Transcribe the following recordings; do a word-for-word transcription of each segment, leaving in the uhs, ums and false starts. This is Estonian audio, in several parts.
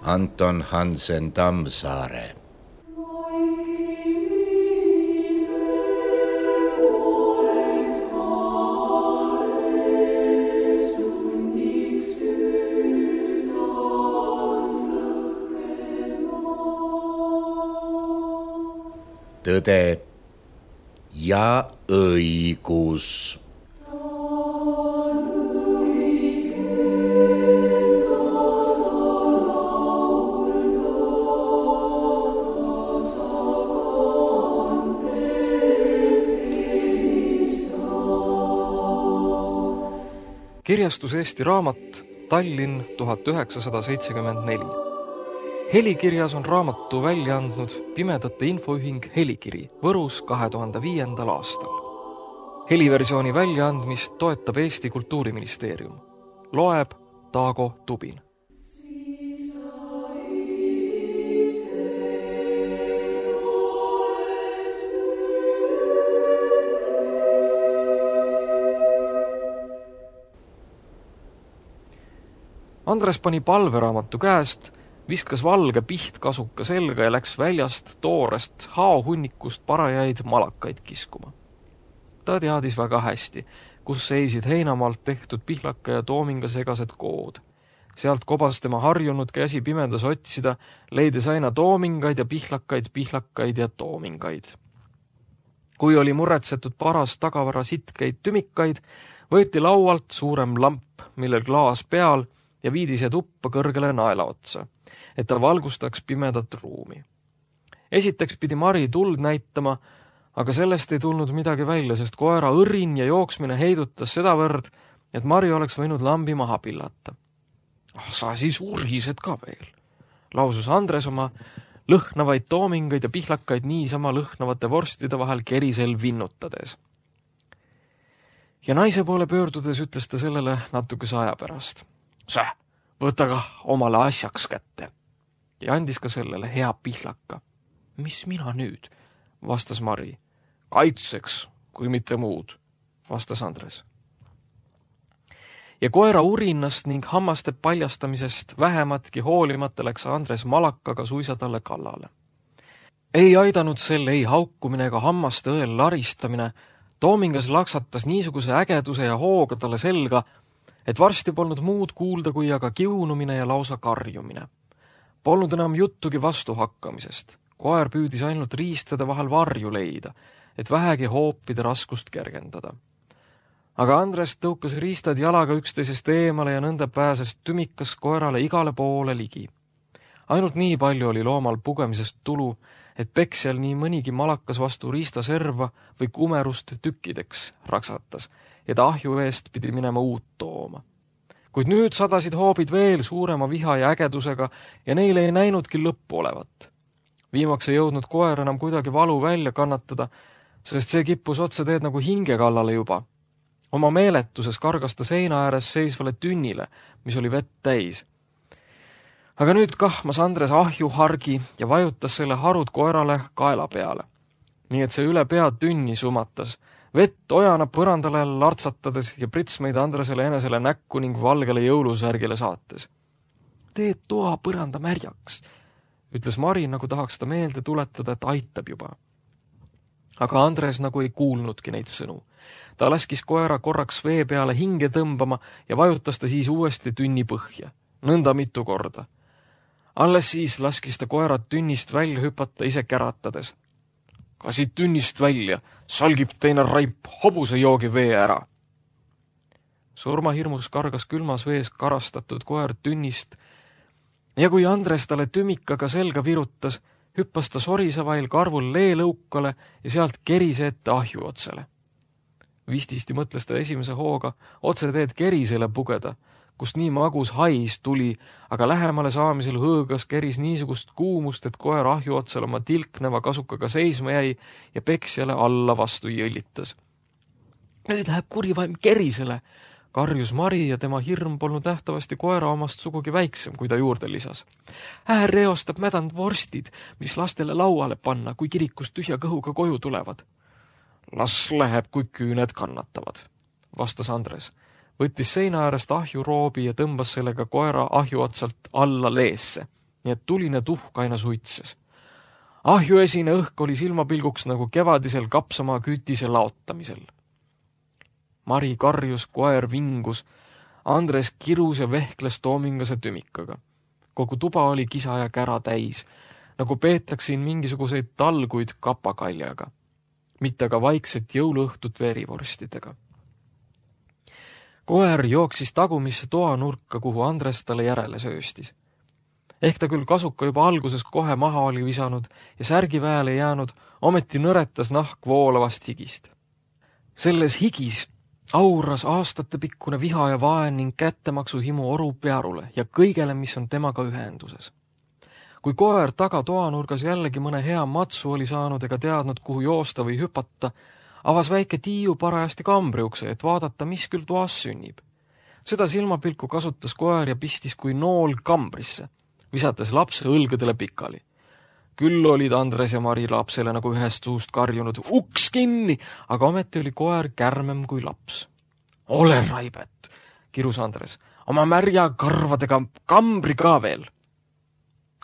Anton Hansen Tammsaare. Tõde ja õigus. Kirjastus Eesti Raamat, Tallinn tuhat üheksasada seitsekümmend neli. Helikirjas on raamatu välja andnud Pimedate Infoühing Helikiri Võrus kahe tuhande viiendal aastal. Heliversiooni väljaandmist toetab Eesti Kultuuriministeerium. Loeb Taago Tubin. Andres pani palveraamatu käest, viskas valge pihtkasuka selga ja läks väljast toorest haohunnikust parajaid malakaid kiskuma. Ta teadis väga hästi, kus seisid heinamaalt tehtud pihlaka ja toominga segased kood. Sealt kobas tema harjunud käsi pimedas otsida, leides aina toomingaid ja pihlakaid, pihlakaid ja toomingaid. Kui oli muretsetud paras tagavara sitkeid tümikaid, võeti laualt suurem lamp, millel klaas peal, ja viidi see tuppa kõrgele naela otsa, et ta valgustaks pimedat ruumi. Esiteks pidi Mari tuld näitama, aga sellest ei tulnud midagi välja, sest koera õrin ja jooksmine heidutas sedavõrd, et Mari oleks võinud lambi maha pillata. Ah, sa siis urised ka veel, lausus Andres oma lõhnavaid toomingaid ja pihlakaid niisama lõhnavate vorstide vahel kerisel vinnutades. Ja naise poole pöördudes ütles ta sellele natukese aja pärast. Säh, võta ka omale asjaks kätte. Ja andis ka sellele hea pihlaka. Mis mina nüüd, vastas Mari. Kaitseks, kui mitte muud, vastas Andres. Ja koera urinnast ning hammaste paljastamisest vähematki hoolimata läks Andres malakaga suisa talle kallale. Ei aidanud selle ei haukumine ega hammaste õel laristamine, toomingas laksatas niisuguse ägeduse ja hooga talle selga, et varsti polnud muud kuulda kui aga kiunumine ja lausa karjumine. Polnud enam juttugi vastu hakkamisest. Koer püüdis ainult riistade vahel varju leida, et vähegi hoopide raskust kergendada. Aga Andres tõukas riistad jalaga üksteisest eemale ja nõnda pääses tümikas koerale igale poole ligi. Ainult nii palju oli loomal pugemisest tulu, et peksjal nii mõnigi malakas vastu riistaserva või kumerust tükkideks raksatas, ja ta ahju eest pidi minema uut tooma. Kuid nüüd sadasid hoobid veel suurema viha ja ägedusega ja neile ei näinudki lõppu olevat. Viimaks ei jõudnud koer enam kuidagi valu välja kannatada, sest see kippus otse teed nagu hinge kallale juba. Oma meeletuses kargas ta seina ääres seisvale tünnile, mis oli vett täis. Aga nüüd kahmas Andres ahju hargi ja vajutas selle harud koerale kaela peale. Nii et see üle pea tünni sumatas, vett ojana põrandale lartsatades ja pritsmeid Andresele enesele näkku ning valgele jõulusärgile saates. Teed toa põranda märjaks, ütles Mari, nagu tahaks ta meelde tuletada, et aitab juba. Aga Andres nagu ei kuulnudki neid sõnu. Ta laskis koera korraks vee peale hinge tõmbama ja vajutas ta siis uuesti tünni põhja, nõnda mitu korda. Alles siis laskis ta koerad tünnist välja hüpata ise käratades. Ka siit tünnist välja, salgib teine raip hobuse joogi vee ära. Surmahirmus kargas külmas vees karastatud koer tünnist ja kui Andres talle tümikaga selga virutas, hüppas ta sorisevail karvul leelõukale ja sealt kerise ette ahju otsele. Vististi mõtles ta esimese hooga otse teed kerisele pugeda, kust nii magus hais tuli, aga lähemale saamisel hõõgas keris niisugust kuumust, et koer ahju otsal oma tilkneva kasukaga seisma jäi ja peksjale alla vastu jõllitas. Nüüd läheb kurivaim kerisele, karjus Mari ja tema hirm polnud nähtavasti koera omast sugugi väiksem, kui ta juurde lisas. Äär reostab mädand vorstid, mis lastele lauale panna, kui kirikust tühja kõhuga koju tulevad. Las läheb, kui küüned kannatavad, vastas Andres. Võttis seina äärest ahju roobi ja tõmbas sellega koera ahju otsalt alla leesse. nii et tuline tuhk aina suitses. Ahjuesine õhk oli silmapilguks nagu kevadisel kapsamaa kütise laotamisel. Mari karjus, koer vingus, Andres kirus ja vehkles toomingase tümikaga. Kogu tuba oli kisa ja kära täis, nagu peetaksin mingisuguseid talguid kapakaljaga, mitte ka vaikset jõuluõhtut verivorstidega. Koer jooksis tagumisse toanurka, kuhu Andres talle järele sööstis. Ehk ta küll kasuka juba alguses kohe maha oli visanud ja särgiväele jäänud, ometi nõretas nahk voolavast higist. Selles higis auras aastatepikkune viha ja vaen ning kättemaksu himu oru pearule ja kõigele, mis on temaga ühenduses. Kui koer taga toanurgas jällegi mõne hea matsu oli saanud ega teadnud, kuhu joosta või hüpata, avas väike Tiiu parajasti kambriukse, et vaadata, mis küll toas sünnib. Seda silmapilku kasutas koer ja pistis kui nool kambrisse, visates lapse õlgedele pikali. Küll olid Andres ja Mari lapsele nagu ühest suust karjunud uks kinni, aga ometi oli koer kärmem kui laps. Ole raibet, kirus Andres, oma märja karvadega kambri ka veel.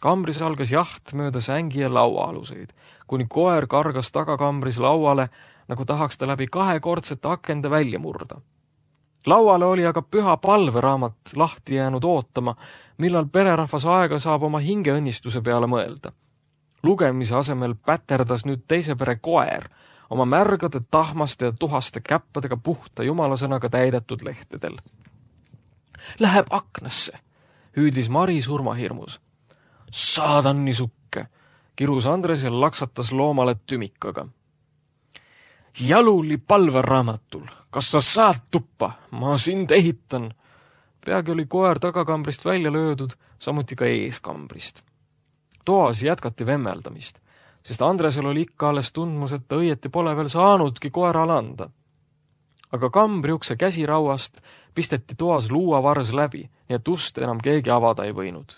Kambris algas jaht mööda sängi ja lauaaluseid, kuni koer kargas tagakambris lauale, nagu tahaks ta läbi kahekordsete akende välja murda. Lauale oli aga püha palveraamat lahti jäänud ootama, millal pererahvas aega saab oma hingeõnnistuse peale mõelda. Lugemise asemel päterdas nüüd teise pere koer, oma märgade, tahmaste ja tuhaste käppadega puhta jumalasõnaga täidetud lehtedel. Läheb aknasse, hüüdis Mari surmahirmus. Saadan nisukke, kirus Andres ja laksatas loomale tümikaga. Jaluli palveraamatul, kas sa saad tuppa, ma sind ehitan. Peagi oli koer tagakambrist välja löödud, samuti ka eeskambrist. Toas jätkati vemmeldamist, sest Andresel oli ikka alles tundmus, et ta õieti pole veel saanudki koerale anda. Aga kambriukse käsirauast pisteti toas luuavars läbi, nii et ust enam keegi avada ei võinud.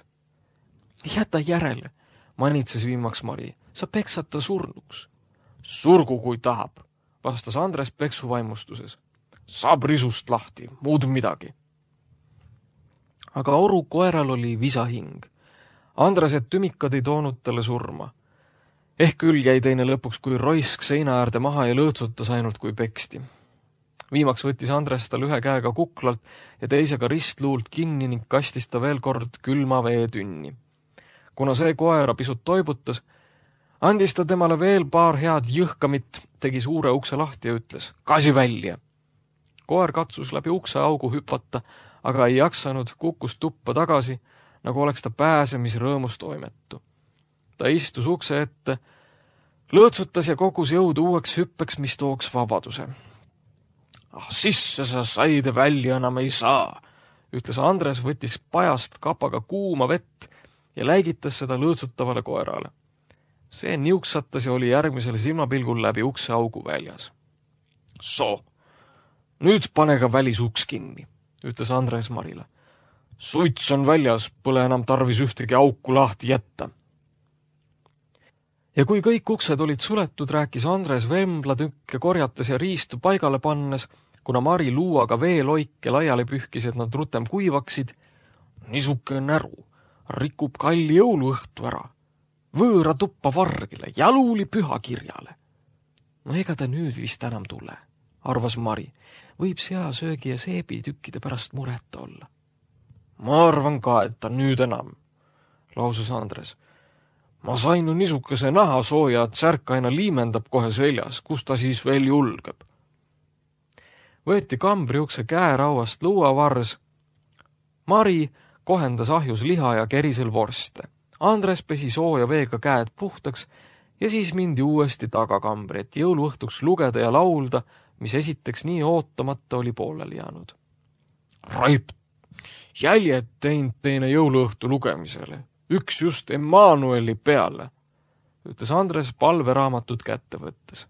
Jäta järele, manitses viimaks Mari, sa peksad ta surnuks. Surgu kui tahab, vastas Andres peksu vaimustuses. Saab risust lahti, muud midagi. Aga oru koeral oli visahing. Andresed tümikad ei toonud talle surma. Ehk küll jäi teine lõpuks kui roisk seina äärde maha ja lõõtsutas ainult kui peksti. Viimaks võttis Andres tal ühe käega kuklalt ja teisega ristluult kinni ning kastis ta veel kord külma vee tünni. Kuna see koera pisut toibutas, andis ta temale veel paar head jõhkamit, tegi suure ukse lahti ja ütles, kasi välja. Koer katsus läbi ukse augu hüpata, aga ei jaksanud, kukkus tuppa tagasi, nagu oleks ta pääsemisrõõmus toimetu. Ta istus ukse ette, lõõtsutas ja kogus jõudu uueks hüppeks, mis tooks vabaduse. Ah, sisse sa said välja enam ei saa, ütles Andres, võttis pajast kapaga kuuma vett ja läigitas seda lõõtsutavale koerale. See niuksatas ja oli järgmisel silmapilgul läbi ukse augu väljas. So, nüüd pane ka välisuks kinni, ütles Andres Marile. Suits on väljas, pole enam tarvis ühtegi auku lahti jätta. Ja kui kõik uksed olid suletud, rääkis Andres vemblatükke korjates ja riistu paigale pannes, kuna Mari luuaga veeloike laiali pühkis, et nad rutem kuivaksid, nisuke näru, rikub kalli jõuluõhtu ära, võõra tuppa vargile, jaluli pühakirjale. No ega ta nüüd vist enam tule, arvas Mari, võib seasöögi ja seebitükkide pärast mureta olla. Ma arvan ka, et ta nüüd enam, lausus Andres. Ma sain ju nisukese nahasooja, et särk aina liimendab kohe seljas, kus ta siis veel julgeb. Võeti kambriukse käerauast luuavars. Mari kohendas ahjus liha ja kerisel vorste. Andres pesi sooja veega käed puhtaks ja siis mindi uuesti tagakambri, et jõuluõhtuks lugeda ja laulda, mis esiteks nii ootamata oli pooleli jäänud. Raip, jäljed teinud teine jõuluõhtu lugemisele. Üks just Emmanueli peale, ütles Andres palveraamatut kätte võttes.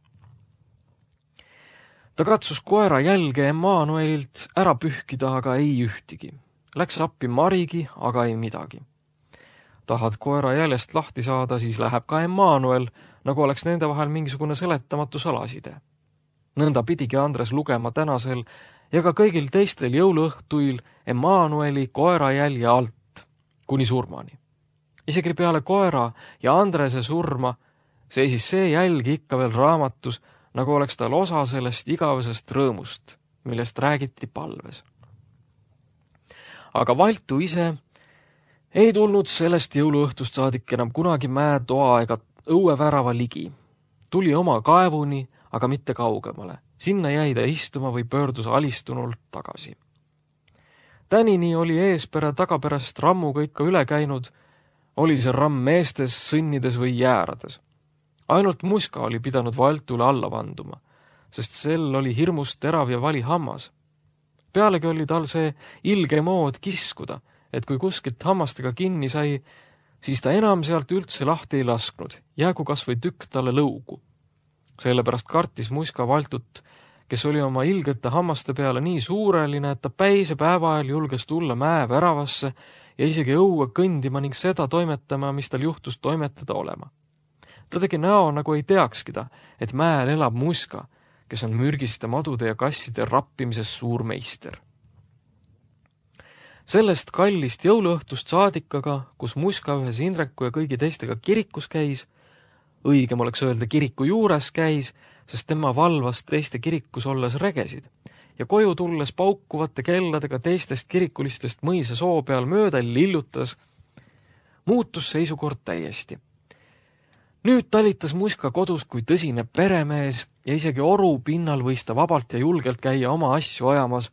Ta katsus koera jälge Emmanuelilt ära pühkida, aga ei ühtigi. Läks appi Marigi, aga ei midagi. Tahad koera jäljest lahti saada, siis läheb ka Emmanuel, nagu oleks nende vahel mingisugune seletamatu salaside. Nõnda pidigi Andres lugema tänasel ja ka kõigil teistel jõuluõhtuil Emmanueli koera jälje alt, kuni surmani. Isegi peale koera ja Andrese surma seisis see jälg ikka veel raamatus, nagu oleks tal osa sellest igavesest rõõmust, millest räägiti palves. Aga Valtu ise ei tulnud sellest jõuluõhtust saadik enam kunagi mäetoa ega õuevärava ligi. Tuli oma kaevuni, aga mitte kaugemale. Sinna jäi ta istuma või pöördus alistunult tagasi. Tänini oli eespere tagapärast rammuga ikka üle käinud, oli see ramm meestes, sõnnides või jäärades. Ainult Muska oli pidanud Valtule alla vanduma, sest sel oli hirmust terav ja vali hammas. Pealegi oli tal see ilge mood kiskuda, et kui kuskilt hammastega kinni sai, siis ta enam sealt üldse lahti ei lasknud, jäägu kas või tükk talle lõugu. Sellepärast kartis Muska Valtut, kes oli oma ilgete hammaste peale nii suureline, et ta päise päeva ajal julges tulla mäe väravasse ja isegi õue kõndima ning seda toimetama, mis tal juhtus toimetada olema. Ta tegi näo, nagu ei teakski ta, et mäel elab Muska, kes on mürgiste madude ja kasside rappimises suur meister. Sellest kallist jõuluõhtust saadikaga, kus Muska ühes Indreku ja kõigi teistega kirikus käis, õigem oleks öelda kiriku juures käis, sest tema valvas teiste kirikus olles regesid ja koju tulles paukuvate kelladega teistest kirikulistest mõisa soo peal mööda lillutas, muutus seisukord täiesti. Nüüd talitas Muska kodus kui tõsine peremees ja isegi oru pinnal võis ta vabalt ja julgelt käia oma asju ajamas,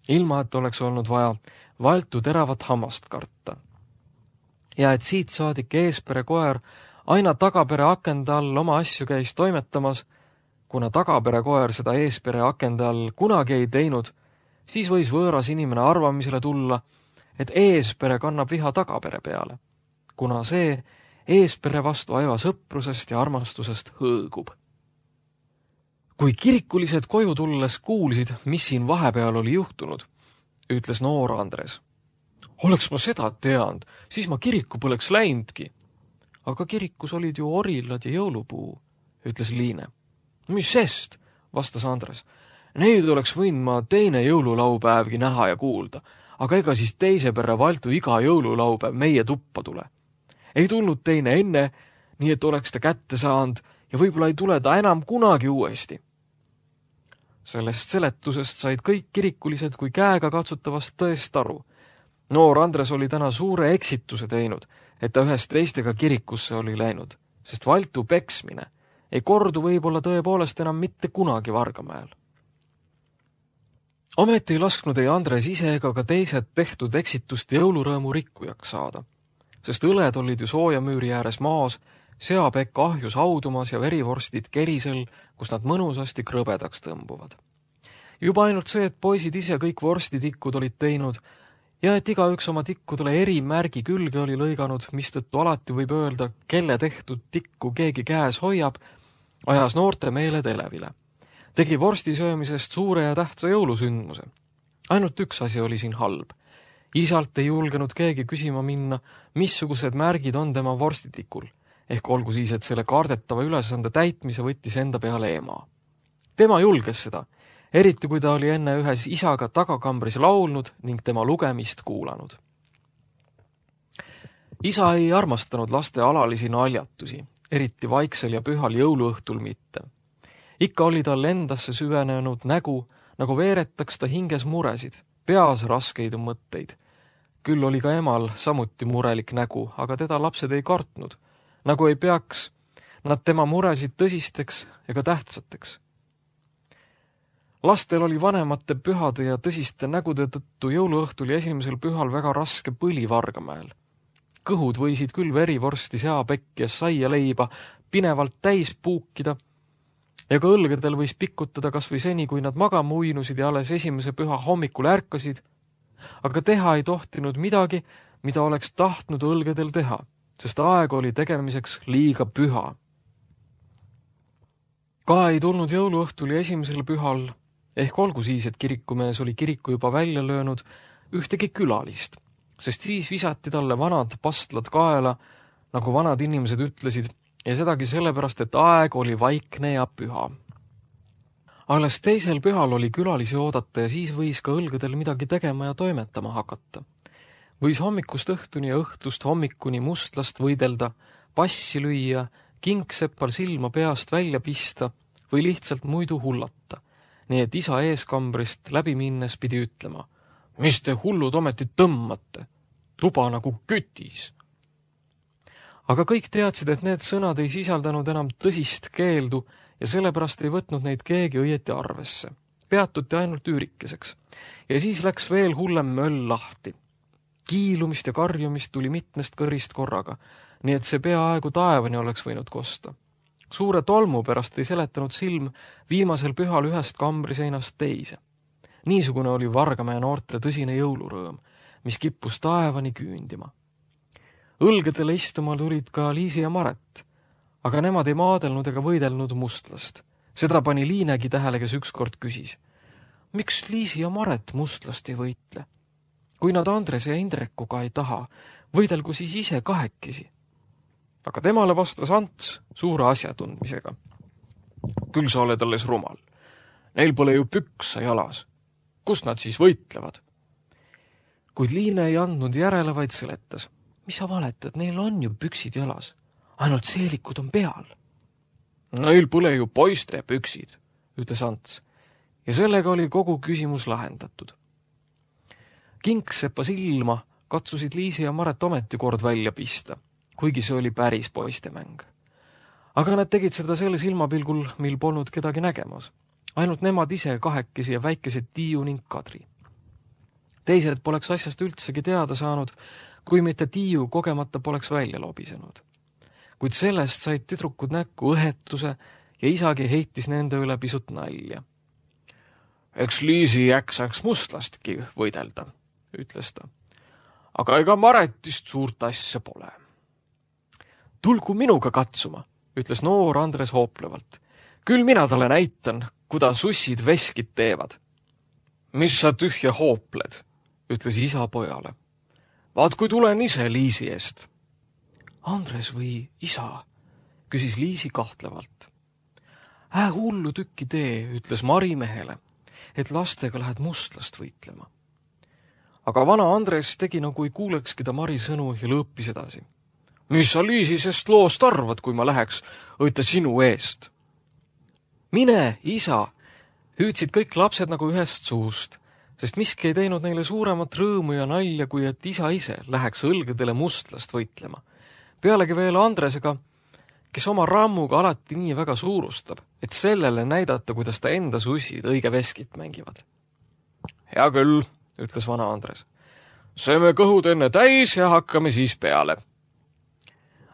ilma et oleks olnud vaja Valtu teravat hammast karta. Ja et siit saadik eespere koer aina tagapere akende all oma asju käis toimetamas, kuna tagapere koer seda eespere akende all kunagi ei teinud, siis võis võõras inimene arvamisele tulla, et eespere kannab viha tagapere peale, kuna see eespere vastu aiva sõprusest ja armastusest hõõgub. Kui kirikulised koju tulles kuulsid, mis siin vahepeal oli juhtunud, ütles noor Andres. Oleks ma seda teanud, siis ma kiriku poleks läinudki. Aga kirikus olid ju orillad ja jõulupuu, ütles Liine. Mis sest, vastas Andres. Neid oleks võinud ma teine jõululaupäevgi näha ja kuulda, aga ega siis teise perre Valtu iga jõululaupäev meie tuppa tule. Ei tulnud teine enne, nii et oleks ta kätte saanud ja võib-olla ei tule ta enam kunagi uuesti. Sellest seletusest said kõik kirikulised kui käega katsutavast tõest aru. Noor Andres oli täna suure eksituse teinud, et ta ühest teistega kirikusse oli läinud, sest Valtu peksmine ei kordu võib-olla tõepoolest enam mitte kunagi Vargamäel. Ometi ei lasknud ei Andres ise ega ka teised tehtud eksitust jõulurõõmu rikkujaks saada, sest õled olid ju soojamüüri ääres maas, seapekk ahjus haudumas ja verivorstid kerisel, kus nad mõnusasti krõbedaks tõmbuvad. Juba ainult see, et poisid ise kõik vorstitikkud olid teinud ja et igaüks oma tikkudele eri märgi külge oli lõiganud, mistõttu alati võib öelda, kelle tehtud tikku keegi käes hoiab, ajas noorte meeled elevile. Tegi vorsti söömisest suure ja tähtsa jõulusündmuse. Ainult üks asi oli siin halb. Isalt ei julgenud keegi küsima minna, missugused märgid on tema vorstitikul, ehk olgu siis, et selle kaardetava ülesande täitmise võttis enda peale ema. Tema julges seda, eriti kui ta oli enne ühes isaga tagakambris laulnud ning tema lugemist kuulanud. Isa ei armastanud laste alalisi naljatusi, eriti vaiksel ja pühal jõuluõhtul mitte. Ikka oli tal endasse süvenenud nägu, nagu veeretaks ta hinges muresid, peas raskeid mõtteid. Küll oli ka emal samuti murelik nägu, aga teda lapsed ei kartnud, nagu ei peaks nad tema muresid tõsisteks ega tähtsateks. Lastel oli vanemate pühade ja tõsiste nägude tõttu jõuluõhtul ja esimesel pühal väga raske põli Vargamäel. Kõhud võisid küll verivorsti, seapekki ja saia leiba pinevalt täis puukida ja ka õlgedel võis pikutada kas või seni, kui nad magama uinusid ja alles esimese püha hommikul ärkasid, aga teha ei tohtinud midagi, mida oleks tahtnud õlgedel teha, sest aeg oli tegemiseks liiga püha. Ka ei tulnud jõuluõhtul ja esimesel pühal, ehk olgu siis, et kirikumees oli kiriku juba välja löönud, ühtegi külalist, sest siis visati talle vanad pastlad kaela, nagu vanad inimesed ütlesid, ja sedagi sellepärast, et aeg oli vaikne ja püha. Alles teisel pühal oli külalisi oodata ja siis võis ka õlgedel midagi tegema ja toimetama hakata. Võis hommikust õhtuni ja õhtust hommikuni mustlast võidelda, passi lüüa, kingsepal silma peast välja pista või lihtsalt muidu hullata, nii et isa eeskambrist läbi minnes pidi ütlema: mis te hullud ometi tõmmate? Tuba nagu kütis. Aga kõik teadsid, et need sõnad ei sisaldanud enam tõsist keeldu ja sellepärast ei võtnud neid keegi õieti arvesse. Peatuti ainult üürikeseks. Ja siis läks veel hullem möll lahti. Kiilumist ja karjumist tuli mitmest kõrist korraga, nii et see peaaegu taevani oleks võinud kosta. Suure tolmu pärast ei seletanud silm viimasel pühal ühest kambriseinast teise. Niisugune oli Vargamäe noorte tõsine jõulurõõm, mis kippus taevani küündima. Õlgedele istuma tulid ka Liisi ja Maret, aga nemad ei maadelnud ega võidelnud mustlast. Seda pani Liinegi tähele, kes ükskord küsis: miks Liisi ja Maret mustlast ei võitle? Kui nad Andres ja Indrekuga ei taha, võidelgu siis ise kahekesi. Aga temale vastas Ants suure asjatundmisega: küll sa oled alles rumal. Neil pole ju püksa jalas. Kust nad siis võitlevad? Kuid Liine ei andnud järele, vaid seletas: mis sa valetad, neil on ju püksid jalas, ainult seelikud on peal. Neil pole ju poiste püksid, ütles Ants, ja sellega oli kogu küsimus lahendatud. Kingsepa silma katsusid Liisi ja Maret ometi kord välja pista, kuigi see oli päris poistemäng. Aga nad tegid seda selle silmapilgul, mil polnud kedagi nägemas. Ainult nemad ise kahekesi ja väikesed Tiiu ning Kadri. Teised poleks asjast üldsegi teada saanud, kui mitte Tiiu kogemata poleks välja lobisenud. Kuid sellest said tüdrukud näkku õhetuse ja isagi heitis nende üle pisut nalja. Eks Liisi jäksaks mustlastki võidelda, ütles ta. Aga ega Maretist suurt asja pole. Tulgu minuga katsuma, ütles noor Andres hooplevalt. Küll mina talle näitan, kuidas sussid veskid teevad. Mis sa tühja hoopled, ütles isa pojale. Vaat kui tulen ise Liisi eest. Andres või isa, küsis Liisi kahtlevalt. Ää hullu tükki tee, ütles Mari mehele, et lastega lähed mustlast võitlema. Aga vana Andres tegi nagu ei kuulekski ta Mari sõnu ja lõõpis edasi. Mis sa Liisisest loost arvad, kui ma läheks õita sinu eest? Mine, isa, hüüdsid kõik lapsed nagu ühest suust, sest miski ei teinud neile suuremat rõõmu ja nalja, kui et isa ise läheks õlgedele mustlast võitlema. Pealegi veel Andresega, kes oma rammuga alati nii väga suurustab, et sellele näidata, kuidas ta enda sussid õige veskit mängivad. Hea küll, ütles vana Andres. Sööme kõhud enne täis ja hakkame siis peale.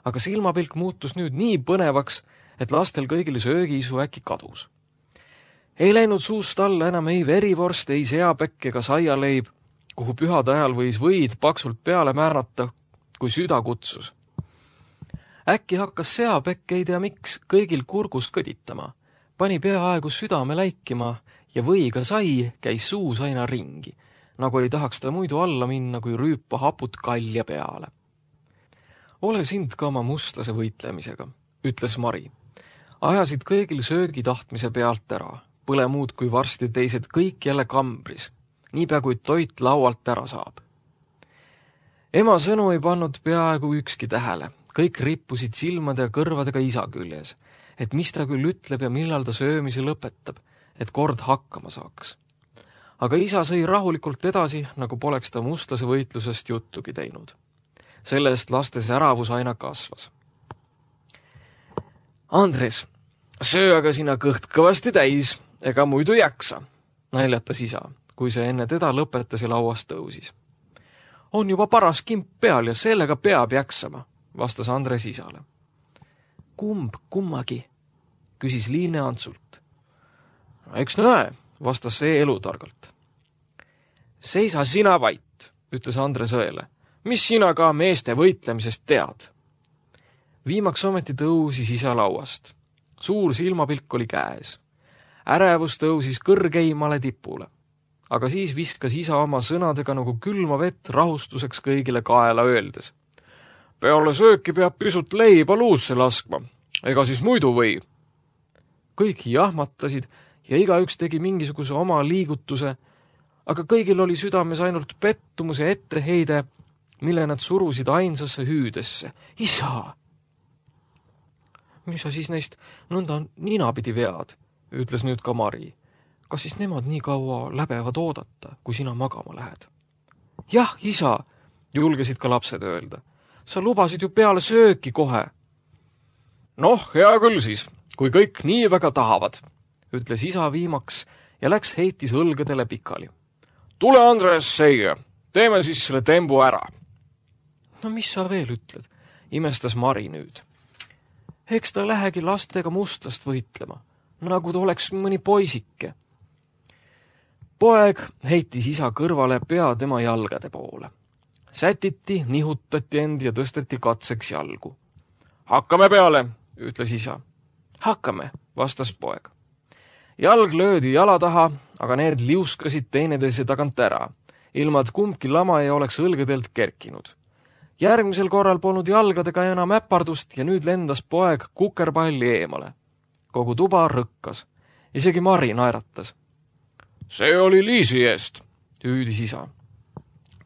Aga silmapilk muutus nüüd nii põnevaks, et lastel kõigil söögiisu äkki kadus. Ei läinud suust alla enam ei verivorst, ei seapekk ega saialeib, kuhu pühade ajal võis võid paksult peale määrata, kui süda kutsus. Äkki hakkas seapekk, ei tea miks, kõigil kurgust kõditama, pani peaaegu südame läikima ja võiga sai käis suus aina ringi, nagu ei tahaks ta muidu alla minna, kui rüüpa haput kalja peale. Ole sind ka oma mustlase võitlemisega, ütles Mari. Ajasid kõigil söögi tahtmise pealt ära, põle muud kui varsti teised kõik jälle kambris, niipea kui toit laualt ära saab. Ema sõnu ei pannud peaaegu ükski tähele, kõik rippusid silmade ja kõrvadega isa küljes, et mis ta küll ütleb ja millal ta söömise lõpetab, et kord hakkama saaks. Aga isa sõi rahulikult edasi, nagu poleks ta mustlase võitlusest juttugi teinud. Sellest laste säravus aina kasvas. Andres, söö aga sina kõht kõvasti täis, ega muidu jaksa, naljatas isa, kui see enne teda lõpetas ja lauast tõusis. On juba paras kimp peal ja sellega peab jaksama, vastas Andres isale. Kumb kummagi, küsis Liine Antsult. Eks näe, vastas see elutargalt. Seisa sina vait, ütles Andres õele. Mis sina ka meeste võitlemisest tead? Viimaks ometi tõusis isa lauast. Suur silmapilk oli käes. Ärevus tõusis kõrgeimale tipule. Aga siis viskas isa oma sõnadega nagu külma vett rahustuseks kõigile kaela öeldes. Peale sööki peab pisut leiba luusse laskma, ega siis muidu või. Kõik jahmatasid ja igaüks tegi mingisuguse oma liigutuse, aga kõigil oli südames ainult pettumuse etteheide, mille nad surusid ainsasse hüüdesse. Isa! Mis sa siis neist nõnda ninapidi vead, ütles nüüd ka Mari. Kas siis nemad nii kaua läbevad oodata, kui sina magama lähed? Jah, isa, julgesid ka lapsed öelda. Sa lubasid ju peale sööki kohe. Noh, hea küll siis, kui kõik nii väga tahavad, ütles isa viimaks ja läks heitis õlgedele pikali. Tule, Andres, seia, teeme siis selle tembu ära. No mis sa veel ütled, imestas Mari nüüd. Eks ta lähegi lastega mustlast võitlema, nagu ta oleks mõni poisike. Poeg heitis isa kõrvale pea tema jalgade poole. Sätiti, nihutati end ja tõsteti katseks jalgu. Hakkame peale, ütles isa. Hakkame, vastas poeg. Jalg löödi jala taha, aga need liuskasid teineteise tagant ära, ilma et kumbki lama ei oleks õlgedelt kerkinud. Järgmisel korral polnud jalgadega enam äpardust ja nüüd lendas poeg kukerpalli eemale. Kogu tuba rõkkas. Isegi Mari naeratas. See oli Liisi eest, hüüdis isa.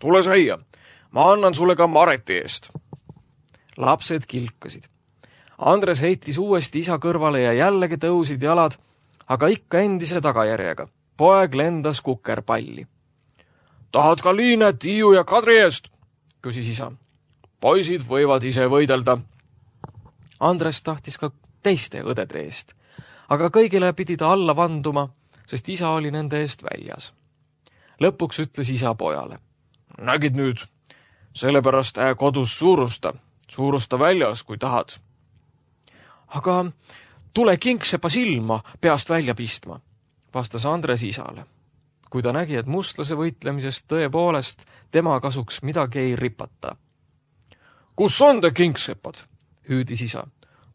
Tule säia, ma annan sulle ka Mareti eest. Lapsed kilkasid. Andres heitis uuesti isa kõrvale ja jällegi tõusid jalad, aga ikka endise tagajärjega. Poeg lendas kukerpalli. Tahad ka Liine, Tiiu ja Kadri eest? Küsis isa. Poisid võivad ise võidelda. Andres tahtis ka teiste õdede eest, aga kõigile pidi ta alla vanduma, sest isa oli nende eest väljas. Lõpuks ütles isa pojale. Nägid nüüd, sellepärast ää kodus suurusta, suurusta väljas, kui tahad. Aga tule kingsepa silma peast välja pistma, vastas Andres isale. Kui ta nägi, et mustlase võitlemisest tõepoolest tema kasuks midagi ei ripata. Kus on te kingsepad? Hüüdis isa.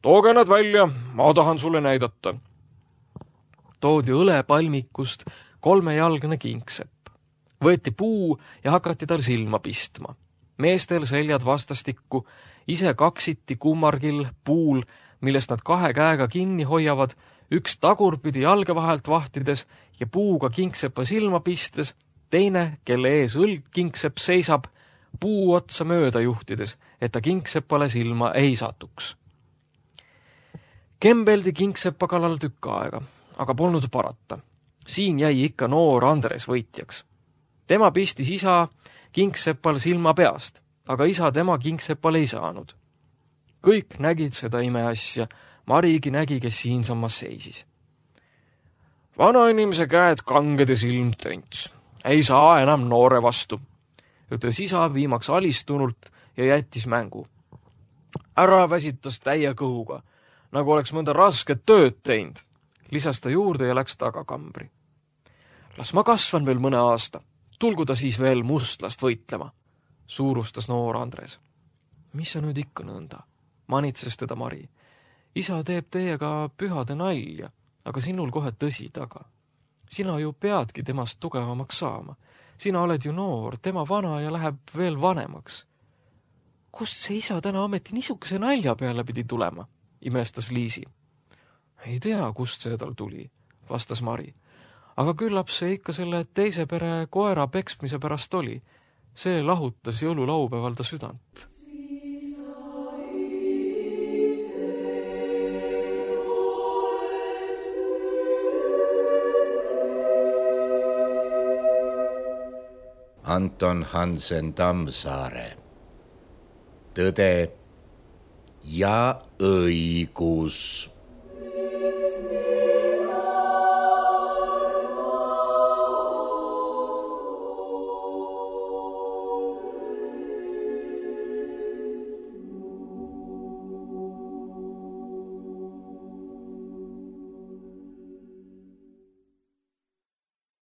Tooge nad välja, ma tahan sulle näidata. Toodi õlepalmikust kolmejalgne kingsepp. Võeti puu ja hakati tal silma pistma. Meestel seljad vastastikku, ise kaksiti kummargil puul, millest nad kahe käega kinni hoiavad, üks tagurpidi jalge vahelt vahtides ja puuga kingsepa silma pistes, teine, kelle ees õlg kingsepp seisab, puu otsa mööda juhtides, et ta kingsepale silma ei satuks. Kembeldi kingsepa kallal tükk aega, aga polnud parata. Siin jäi ikka noor Andres võitjaks. Tema pistis isa kingsepal silma peast, aga isa tema kingsepal ei saanud. Kõik nägid seda imeasja, Marigi nägi, kes siinsammas seisis. Vana inimese käed kanged ja silm tönts. Ei saa enam noore vastu, ütles isa viimaks alistunult ja jättis mängu. Ära väsitas täie kõhuga, nagu oleks mõnda rasket tööd teinud, lisas ta juurde ja läks tagakambri. Las ma kasvan veel mõne aasta, tulgu ta siis veel mustlast võitlema, suurustas noor Andres. Mis sa nüüd ikka nõnda? Manitses teda Mari. Isa teeb teiega pühade nalja, aga sinul kohe tõsi taga. Sina ju peadki temast tugevamaks saama. Sina oled ju noor, tema vana ja läheb veel vanemaks. Kust see isa täna ameti niisuguse nalja peale pidi tulema, imestas Liisi. Ei tea, kust see tal tuli, vastas Mari. Aga küllap see ikka selle teise pere koera peksmise pärast oli. See lahutas jõululaupäeval ta südant. Anton Hansen Tammsaare. Tõde ja õigus.